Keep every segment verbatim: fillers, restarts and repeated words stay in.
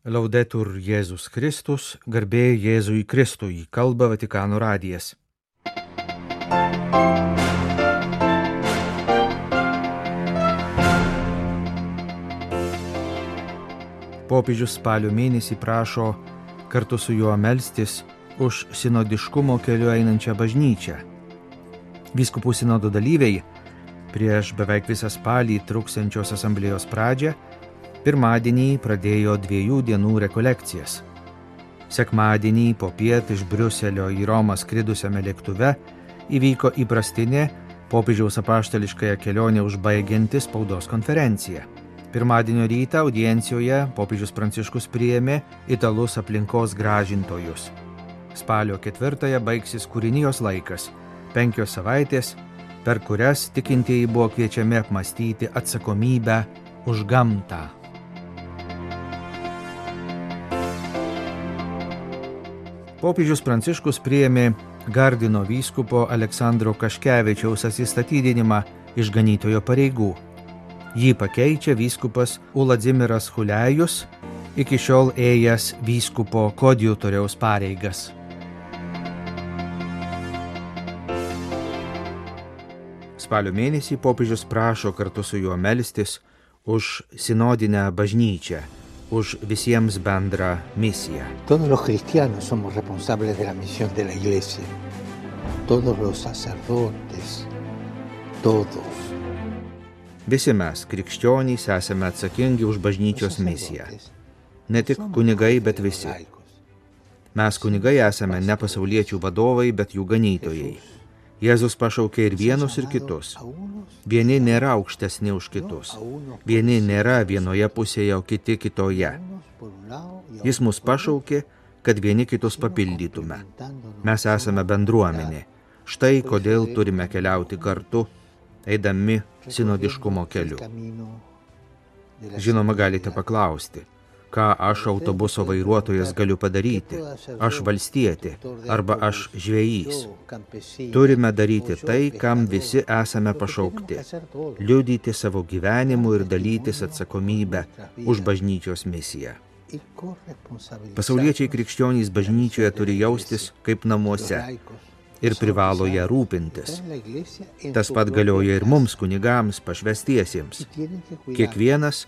Laudetur Jėzus Kristus, garbė Jėzui Kristui, kalba Vatikano radijas. Popiežius spalio mėnesį prašo kartu su juo melstis už sinodiškumo keliu einančią bažnyčią. Vyskupų sinodo dalyviai prieš beveik visą spalį truksiančios asamblėjos pradžią pirmadienį pradėjo dviejų dienų rekolekcijas. Sekmadienį popiet iš Briuselio į Romą skridusiame lėktuve įvyko įprastinė popiežiaus apaštališkąją kelionę užbaigianti spaudos konferencija. Pirmadienio rytą audiencijoje popiežius Pranciškus priėmė italus aplinkos gražintojus. Spalio ketvirtąją baigsis kūrinijos laikas, penkios savaitės, per kurias tikintieji buvo kviečiami apmąstyti atsakomybę už gamtą. Popiežius Pranciškus priėmė Gardino vyskupo Aleksandro Kaškevičiaus atsistatydinimą iš ganytojo pareigų. Jį pakeičia vyskupas Uladzimiras Hulejus, iki šiol ėjęs vyskupo koadjutoriaus pareigas. Spalio mėnesį popiežius prašo kartu su juo melstis už sinodinę bažnyčią, už visiems bendrą misiją. Todos los cristianos somos responsables de la misión de la Iglesia. Todos los sacerdotes, todos. Visi mes, krikščionys, esame atsakingi už bažnyčios misiją. Ne tik kunigai, bet visi. Mes kunigai esame ne pasauliečių vadovai, bet jų ganytojai. Jėzus pašaukė ir vienus, ir kitus. Vieni nėra aukštesni už kitus. Vieni nėra vienoje pusėje, o kiti kitoje. Jis mus pašaukė, kad vieni kitus papildytume. Mes esame bendruomenė. Štai kodėl turime keliauti kartu, eidami sinodiškumo keliu. Žinoma, galite paklausti, ką aš autobuso vairuotojas galiu padaryti, aš valstietė arba aš žvejys. Turime daryti tai, kam visi esame pašaukti, liudyti savo gyvenimu ir dalytis atsakomybę už bažnyčios misiją. Pasauliečiai krikščionys bažnyčioje turi jaustis kaip namuose ir privalo ją rūpintis. Tas pat galioja ir mums, kunigams, pašvęstiesiems. Kiekvienas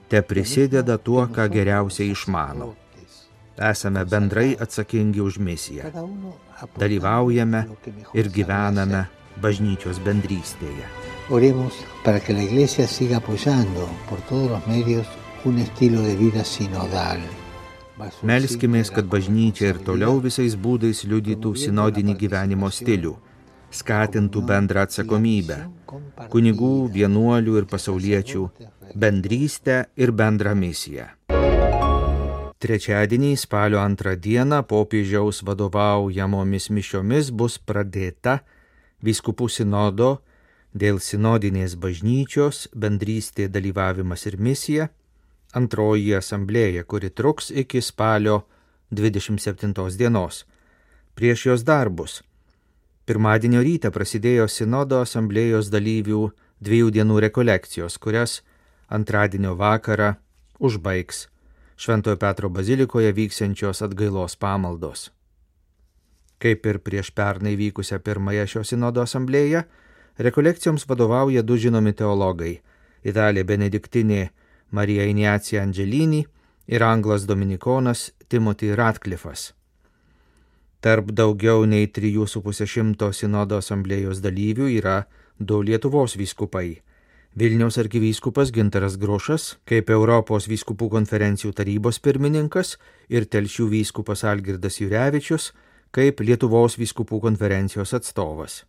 te prisideda tuo, ką geriausiai išmano. Esame bendrai atsakingi už misiją. Dalyvaujame ir gyvename bažnyčios bendrystėje. Oremos para que la Iglesia siga apoyando por todos los medios un estilo de vida sinodal. Melskimės, kad bažnyčia ir toliau visais būdais liudytų sinodinį gyvenimo stilių, skatintų bendrą atsakomybę, kunigų, vienuolių ir pasauliečių, bendrystę ir bendrą misiją. Trečiadienį spalio antrą dieną popiežiaus vadovaujamomis mišiomis bus pradėta vyskupų sinodo dėl sinodinės bažnyčios, bendrystė, dalyvavimas ir misija, antroji asamblėja, kuri truks iki spalio dvidešimt septintos dienos. Prieš jos darbus pirmadienio rytą prasidėjo sinodo asamblėjos dalyvių dviejų dienų rekolekcijos, kurias antradienio vakarą užbaigs Šventojo Petro bazilikoje vyksiančios atgailos pamaldos. Kaip ir prieš pernai vykusią pirmąją šio sinodo asamblėją, rekolekcijoms vadovauja du žinomi teologai – italė benediktinė Marija Ignacija Angelini ir anglas dominikonas Timothy Ratcliffe'as. Tarp daugiau nei trijų su pusė šimto sinodo asamblėjos dalyvių yra du Lietuvos vyskupai. Vilniaus arkivyskupas Gintaras Grušas, kaip Europos vyskupų konferencijų tarybos pirmininkas, ir Telšių vyskupas Algirdas Jurevičius, kaip Lietuvos vyskupų konferencijos atstovas.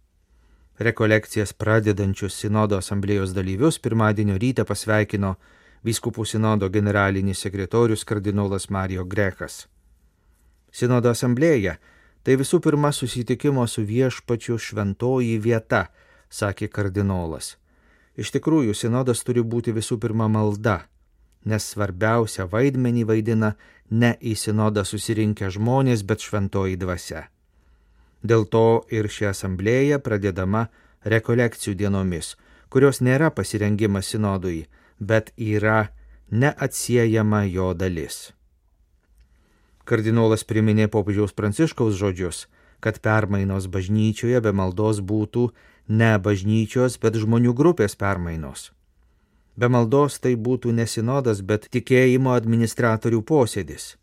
Rekolekcijas pradedančius sinodo asamblėjos dalyvius pirmadienio rytą pasveikino vyskupų sinodo generalinis sekretorius kardinolas Mario Grechas. Sinodo asamblėja tai visų pirma susitikimo su viešpačiu šventoji vieta, sakė kardinolas. Iš tikrųjų, sinodas turi būti visų pirma malda, nes svarbiausia vaidmenį vaidina ne į sinodą susirinkę žmonės, bet šventoji dvasia. Dėl to ir ši asamblėja pradedama rekolekcijų dienomis, kurios nėra pasirengimas sinodui, bet yra neatsiejama jo dalis. Kardinolas priminė popiežiaus Pranciškaus žodžius, kad permainos bažnyčioje be maldos būtų ne bažnyčios, bet žmonių grupės permainos. Be maldos tai būtų ne sinodas, bet tikėjimo administratorių posėdis.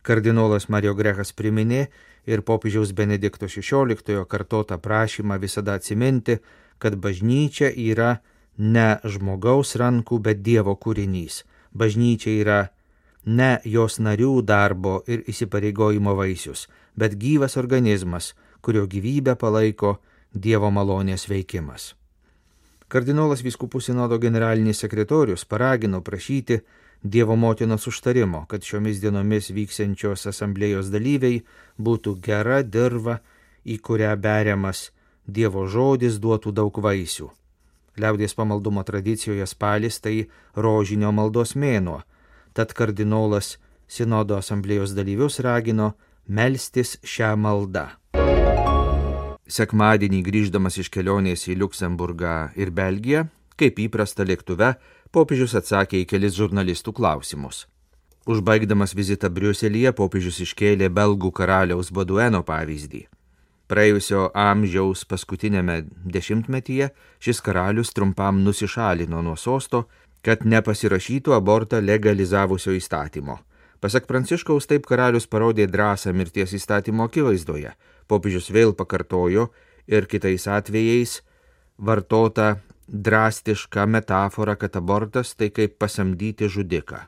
Kardinolas Mario Grechas priminė ir popiežiaus Benedikto šešioliktojo kartotą prašymą visada atsiminti, kad bažnyčia yra ne žmogaus rankų, bet Dievo kūrinys. Bažnyčia yra ne jos narių darbo ir įsipareigojimo vaisius, bet gyvas organizmas, kurio gyvybę palaiko Dievo malonės veikimas. Kardinolas vyskupų sinodo generalinis sekretorius paragino prašyti Dievo motinos užtarimo, kad šiomis dienomis vyksiančios asamblėjos dalyviai būtų gera dirva, į kurią beriamas Dievo žodis duotų daug vaisių. Liaudies pamaldumo tradicijoje spalis tai rožinio maldos mėnuo, tad kardinolas sinodo asamblėjos dalyvius ragino melstis šią maldą. Sekmadienį grįždamas iš kelionės į Liuksemburgą ir Belgiją, kaip įprasta lėktuve, popiežius atsakė į kelis žurnalistų klausimus. Užbaigdamas vizitą Briuselyje, popiežius iškėlė belgų karaliaus Badueno pavyzdį. Praėjusio amžiaus paskutinėme dešimtmetyje šis karalius trumpam nusišalino nuo sosto, kad nepasirašytų abortą legalizavusio įstatymo. Pasak Pranciškaus, taip karalius parodė drąsą mirties įstatymo akivaizdoje. Popiežius vėl pakartojo ir kitais atvejais vartota drastiška metafora, kad abortas tai kaip pasamdyti žudiką.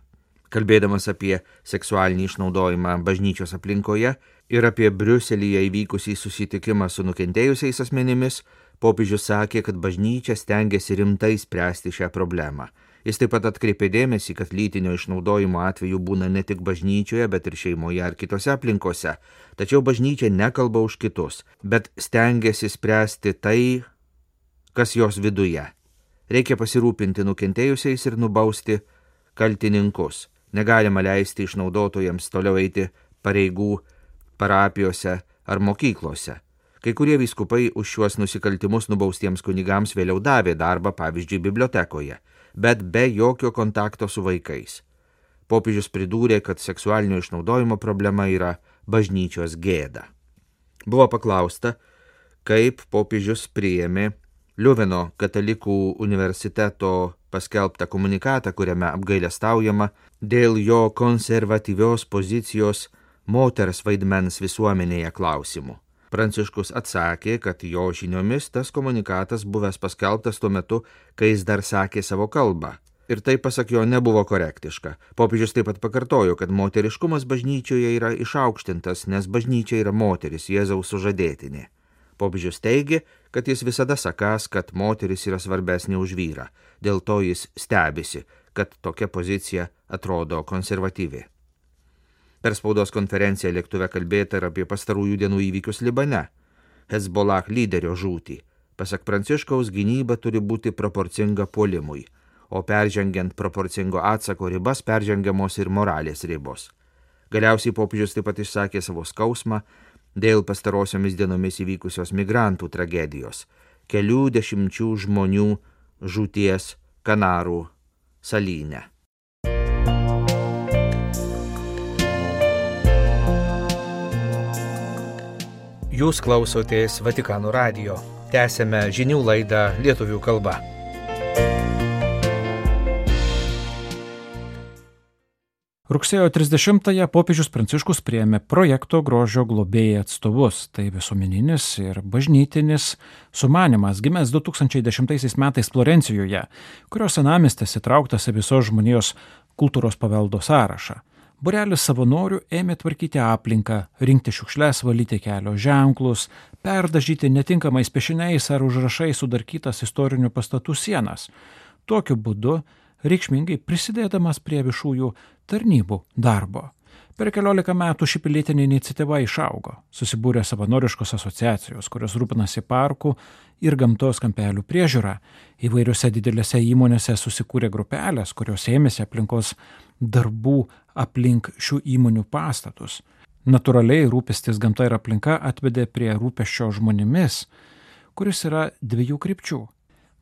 Kalbėdamas apie seksualinį išnaudojimą bažnyčios aplinkoje ir apie Briuselyje įvykusį susitikimą su nukentėjusiais asmenimis, popiežius sakė, kad bažnyčia stengiasi rimtai spręsti šią problemą. Jis taip pat atkreipė dėmesį, kad lytinio išnaudojimo atveju būna ne tik bažnyčioje, bet ir šeimoje ar kitose aplinkose. Tačiau bažnyčia nekalba už kitus, bet stengiasi spręsti tai, kas jos viduje. Reikia pasirūpinti nukentėjusiais ir nubausti kaltininkus. Negalima leisti išnaudotojams toliau eiti pareigų parapijose ar mokyklose. Kai kurie vyskupai už šiuos nusikaltimus nubaustiems kunigams vėliau davė darbą, pavyzdžiui, bibliotekoje, bet be jokio kontakto su vaikais. Popiežius pridūrė, kad seksualinio išnaudojimo problema yra bažnyčios gėda. Buvo paklausta, kaip popiežius priėmė Liuveno katalikų universiteto paskelbtą komunikatą, kuriame apgailestaujama dėl jo konservatyvios pozicijos moters vaidmens visuomenėje klausimų. Pranciškus atsakė, kad jo žiniomis tas komunikatas buvęs paskelbtas tuo metu, kai jis dar sakė savo kalbą. Ir tai, pasak jo, nebuvo korektiška. Popiežius taip pat pakartojo, kad moteriškumas bažnyčioje yra išaukštintas, nes bažnyčia yra moteris, Jėzaus sužadėtinė. Popiežius teigė, kad jis visada sakąs, kad moteris yra svarbesnė už vyrą. Dėl to jis stebisi, kad tokia pozicija atrodo konservatyvi. Per spaudos konferenciją lėktuve kalbėta ir apie pastarųjų dienų įvykius Libane. Hezbollah lyderio žūtį. Pasak Pranciškaus, gynyba turi būti proporcinga puolimui, o peržengiant proporcingo atsako ribas peržengiamos ir moralės ribos. Galiausiai popiežius taip pat išsakė savo skausmą dėl pastarosiomis dienomis įvykusios migrantų tragedijos, kelių dešimčių žmonių žūties Kanarų salyne. Jūs klausotės Vatikano radijo. Tęsėme žinių laidą lietuvių kalba. Rugsėjo trisdešimtąją popiežius Pranciškus priėmė projekto grožio globėjai atstovus. Tai visuomeninis ir bažnytinis sumanymas gimęs du tūkstančiai dešimtaisiais metais Florencijoje, kurio senamiestis įtrauktas į visos žmonijos kultūros paveldo sąrašą. Būrelis savanorių ėmė tvarkyti aplinką, rinkti šiukšles, valyti kelio ženklus, perdažyti netinkamais piešiniais ar užrašais sudarkytas istorinių pastatų sienas. Tokiu būdu reikšmingai prisidėdamas prie viešųjų tarnybų darbo. Per keliolika metų ši pilietinė iniciatyva išaugo. Susibūrė savanoriškos asociacijos, kurios rūpinasi parkų ir gamtos kampelių priežiūra. Įvairiose didelėse įmonėse susikūrė grupelės, kurios ėmėsi aplinkos darbų aplink šių įmonių pastatus. Natūraliai rūpestis gamta ir aplinka atvedė prie rūpesčio žmonėmis, kuris yra dviejų krypčių.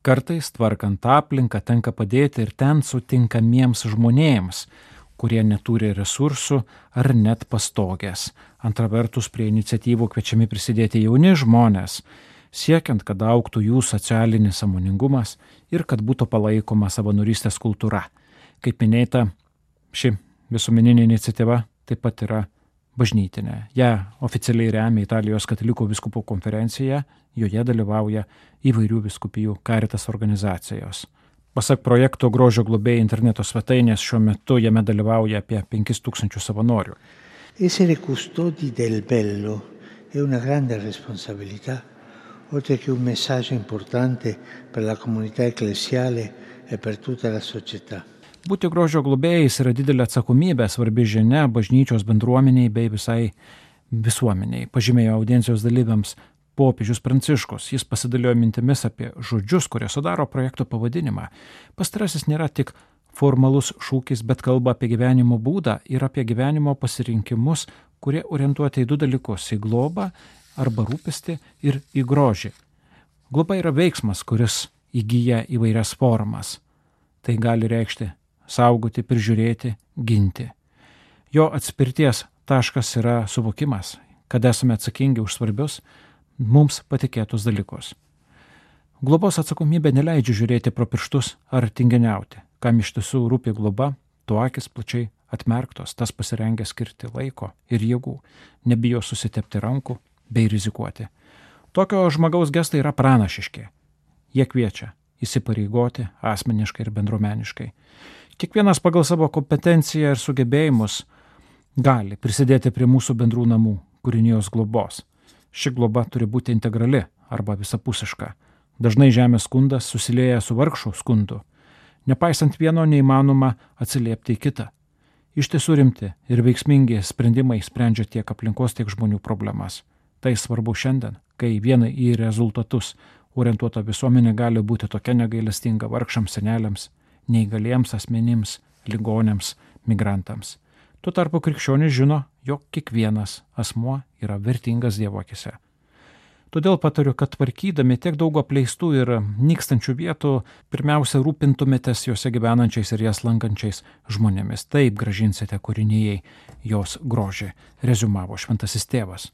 Kartais tvarkant aplinką tenka padėti ir ten sutinkamiems žmonėms, kurie neturi resursų ar net pastogės. Antra vertus, prie iniciatyvų kviečiami prisidėti jauni žmonės, siekiant, kad augtų jų socialinis sąmoningumas ir kad būtų palaikoma savanorystės kultūra. Kaip minėta, ši visuomeninė iniciatyva taip pat yra bažnytinė. Ja oficialiai remia Italijos katalikų vyskupų konferencija, joje dalyvauja įvairių vyskupijų Caritas organizacijos. Pasak projekto Grožio globėjai interneto svetainės, šiuo metu jame dalyvauja apie penkis tūkstančius savanorių. Essere custodi del bello è una grande responsabilità, oltre che un messaggio importante per la comunità ecclesiale e per tutta la società. Būti grožio globėjais yra didelė atsakomybė, svarbi žinia bažnyčios bendruomeniai bei visai visuomeniai, pažymėjo audiencijos dalyviams popiežius Pranciškus. Jis pasidalijo mintimis apie žodžius, kurie sudaro projekto pavadinimą. Pastarasis nėra tik formalus šūkis, bet kalba apie gyvenimo būdą ir apie gyvenimo pasirinkimus, kurie orientuoti į du dalykus – į globą arba rūpestį ir į grožį. Globa yra veiksmas, kuris įgyja įvairias formas. Tai gali reikšti saugoti, prižiūrėti, ginti. Jo atspirties taškas yra suvokimas, kad esame atsakingi už svarbius mums patikėtus dalykus. Globos atsakomybė neleidžia žiūrėti pro pirštus ar tinginiauti. Kam iš tiesų rūpi globa, tuo akis plačiai atmerktos, tas pasirengę skirti laiko ir jėgų, nebijo susitepti rankų bei rizikuoti. Tokio žmogaus gestai yra pranašiški. Jie kviečia įsipareigoti asmeniškai ir bendruomeniškai. Kiekvienas pagal savo kompetenciją ir sugebėjimus gali prisidėti prie mūsų bendrų namų kūrinijos globos. Ši globa turi būti integrali arba visapusiška. Dažnai žemės skundas susilieja su vargšų skundu. Nepaisant vieno neįmanoma atsiliepti į kitą. Iš tiesų rimti ir veiksmingi sprendimai sprendžia tiek aplinkos, tiek žmonių problemas. Tai svarbu šiandien, kai vienai į rezultatus orientuota visuomenė gali būti tokia negailestinga vargšams seneliams, neįgaliems asmenims, ligonėms, migrantams. Tuo tarpu krikščionis žino, jog kiekvienas asmuo yra vertingas Dievo akyse. Todėl patariu, kad tvarkydami tiek daug apleistų ir nykstančių vietų, pirmiausia rūpintumėtės juose gyvenančiais ir jas lankančiais žmonėmis. Taip grąžinsite kūrinijai jos grožį, reziumavo šventasis tėvas.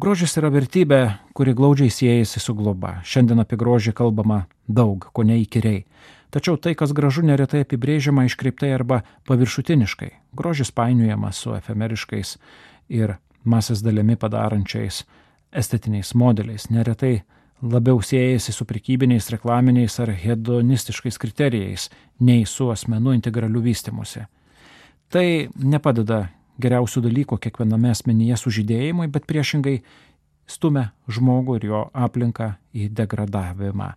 Grožis yra vertybė, kuri glaudžiai siejasi su globa. Šiandien apie grožį kalbama daug, ko neįkyriai. Tačiau tai, kas gražu, neretai apibrėžiama iškreiptai arba paviršutiniškai. Grožis painiojamas su efemeriškais ir masės dalimi padarančiais estetiniais modeliais. Neretai labiau siejasi su prekybiniais, reklaminiais ar hedonistiškais kriterijais, nei su asmenų integraliu vystymusi. Tai nepadeda geriausių dalykų kiekviename asmenyje sužydėjimui, bet priešingai stumia žmogų ir jo aplinką į degradavimą.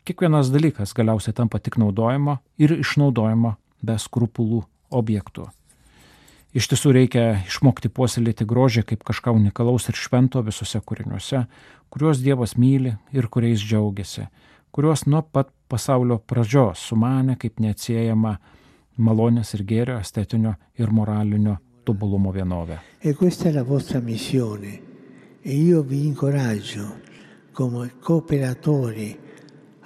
Kiekvienas dalykas galiausiai tampa tik naudojimo ir išnaudojimo be skrupulų objektų. Iš tiesų reikia išmokti puoselėti grožį kaip kažką unikalaus ir švento visose kūriniuose, kuriuos Dievas myli ir kuriais džiaugiasi, kuriuos nuo pat pasaulio pradžios sumanė kaip neatsiejama malonės ir gėrio, estetinio ir moralinio tobulumo vienovė. E questa è la vostra missione e io vi incoraggio come cooperatori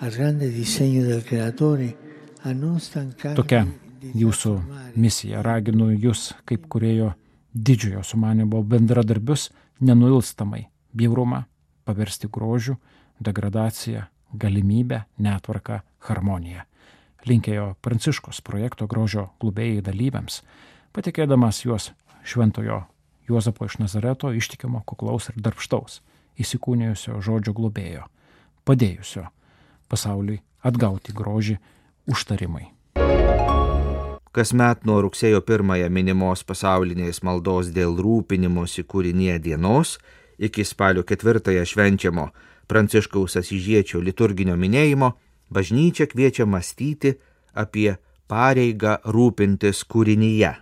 al grande disegno del Creatore a non stancarvi. Tokia jūsų misija. Raginu jūs, kaip kūrėjo didžiojo sumanimo bendradarbius, nenuilstamai bjaurumą paversti grožiu, degradaciją, galimybę, netvarką, harmoniją. Linkėjo Pranciškus projekto Grožio globėjai dalyviams, patikėdamas juos šventojo Juozapo iš Nazareto ištikimo, kuklaus ir darbštaus, įsikūnijusio žodžio globėjo, padėjusio pasauliui atgauti grožį užtarimai. Kasmet nuo rugsėjo pirmąją minimos pasaulinės maldos dėl rūpinimosi kūrinyje dienos iki spalio ketvirtąją švenčiamo Pranciškaus Asyžiečio liturginio minėjimo bažnyčia kviečia mąstyti apie pareigą rūpintis kūrinyje.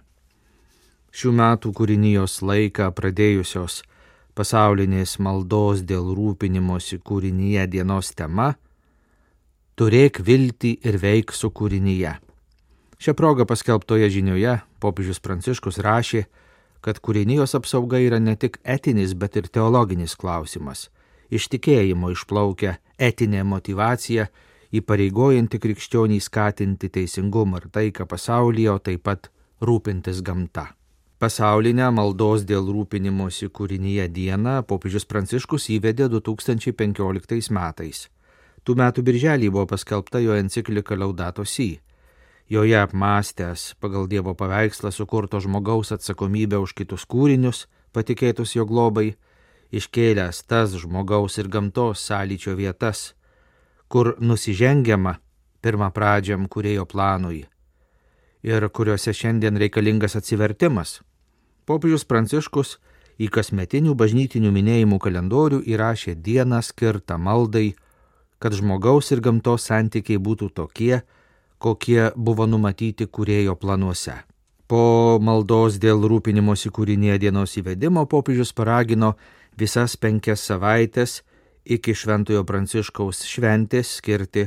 Šių metų kūrinijos laiką pradėjusios pasaulinės maldos dėl rūpinimosi kūrinyje dienos tema Turėk viltį ir veik su kūrinyje. Šią progą paskelbtoje žinioje popiežius Pranciškus rašė, kad kūrinijos apsauga yra ne tik etinis, bet ir teologinis klausimas. Iš tikėjimo išplaukia etinė motyvacija, įpareigojanti krikščionį skatinti teisingumą ir taiką pasaulyje, o taip pat rūpintis gamta. Pasaulinę maldos dėl rūpinimosi kūrinyje dieną popiežius Pranciškus įvedė du tūkstančiai penkioliktais metais. Tų metų birželį buvo paskelbta jo enciklika Laudato Si. Joje apmąstęs pagal Dievo paveikslą sukurto žmogaus atsakomybę už kitus kūrinius, patikėtus jo globai, iškėlęs tas žmogaus ir gamtos sąlyčio vietas, kur nusižengiama pirmą pradžiam kūrėjo planui ir kuriuose šiandien reikalingas atsivertimas. Popiežius Pranciškus į kasmetinių bažnytinių minėjimų kalendorių įrašė dieną skirtą maldai, kad žmogaus ir gamtos santykiai būtų tokie, kokie buvo numatyti kūrėjo planuose. Po maldos dėl rūpinimosi kūrinyje dienos įvedimo popiežius paragino visas penkias savaitės iki Šventojo Pranciškaus šventės skirti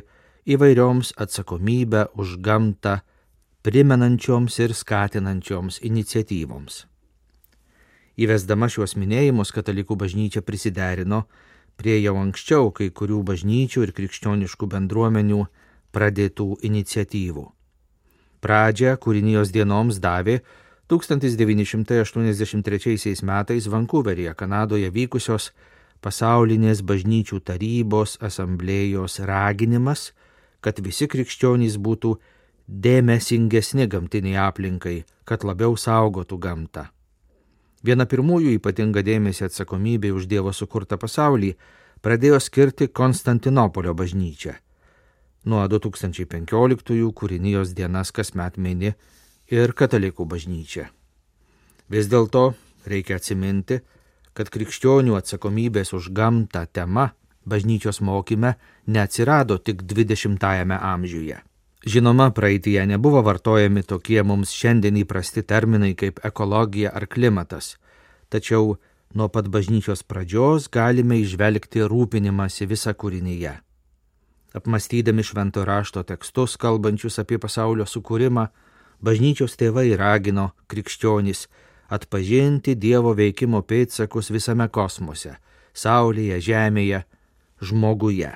įvairioms atsakomybę už gamtą primenančioms ir skatinančioms iniciatyvoms. Įvesdama šiuos minėjimus, katalikų bažnyčia prisiderino prie jau anksčiau kai kurių bažnyčių ir krikščioniškų bendruomenių pradėtų iniciatyvų. Pradžią kūrinijos dienoms davė tūkstantis devyni šimtai aštuoniasdešimt trečiaisiais metais Vankuveryje, Kanadoje vykusios pasaulinės bažnyčių tarybos asamblėjos raginimas, kad visi krikščionys būtų dėmesingesni gamtiniai aplinkai, kad labiau saugotų gamtą. Viena pirmųjų ypatingą dėmesį atsakomybė už Dievo sukurtą pasaulį pradėjo skirti Konstantinopolio bažnyčia. Nuo du tūkstančiai penkioliktųjų kūrinijos dienas kasmet mini ir katalikų bažnyčia. Vis dėlto reikia atsiminti, kad krikščionių atsakomybės už gamtą tema bažnyčios mokyme neatsirado tik dvidešimtajame amžiuje. Žinoma, praeityje nebuvo vartojami tokie mums šiandien įprasti terminai kaip ekologija ar klimatas, tačiau nuo pat bažnyčios pradžios galime įžvelgti rūpinimąsi visą kūrinyje. Apmąstydami švento rašto tekstus, kalbančius apie pasaulio sukūrimą, bažnyčios tėvai ragino krikščionys atpažinti Dievo veikimo pėdsakus visame kosmose, saulėje, žemėje, žmoguje.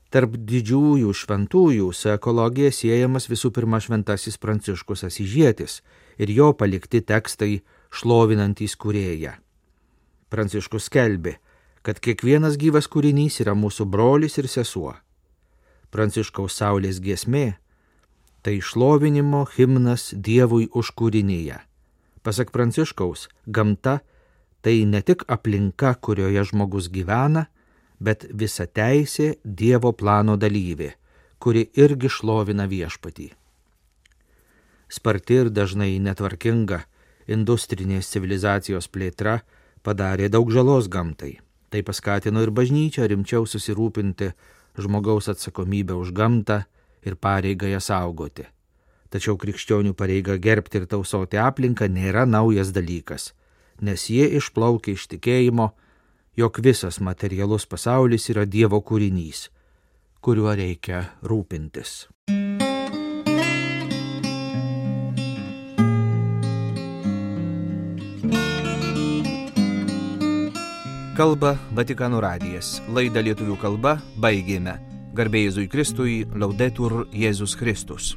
Tarp didžiųjų šventųjų su ekologija siejamas visų pirma šventasis Pranciškus Asyžietis ir jo palikti tekstai šlovinantys kūrėją. Pranciškus skelbė, kad kiekvienas gyvas kūrinys yra mūsų brolis ir sesuo. Pranciškaus saulės giesmė – tai šlovinimo himnas Dievui už kūrinyje. Pasak Pranciškaus, gamta – tai ne tik aplinka, kurioje žmogus gyvena, bet visa teisė Dievo plano dalyvė, kuri irgi šlovina viešpatį. Sparti ir dažnai netvarkinga industrinės civilizacijos plėtra padarė daug žalos gamtai. Tai paskatino ir bažnyčią rimčiau susirūpinti žmogaus atsakomybę už gamtą ir pareigą ją saugoti. Tačiau krikščionių pareiga gerbti ir tausoti aplinką nėra naujas dalykas, nes jie išplaukia iš tikėjimo, jog visas materialus pasaulis yra Dievo kūrinys, kuriuo reikia rūpintis. Kalba Vatikano radijas. Laidą lietuvių kalba baigėme. Garbė Jėzui Kristui, Laudetur Jėzus Kristus.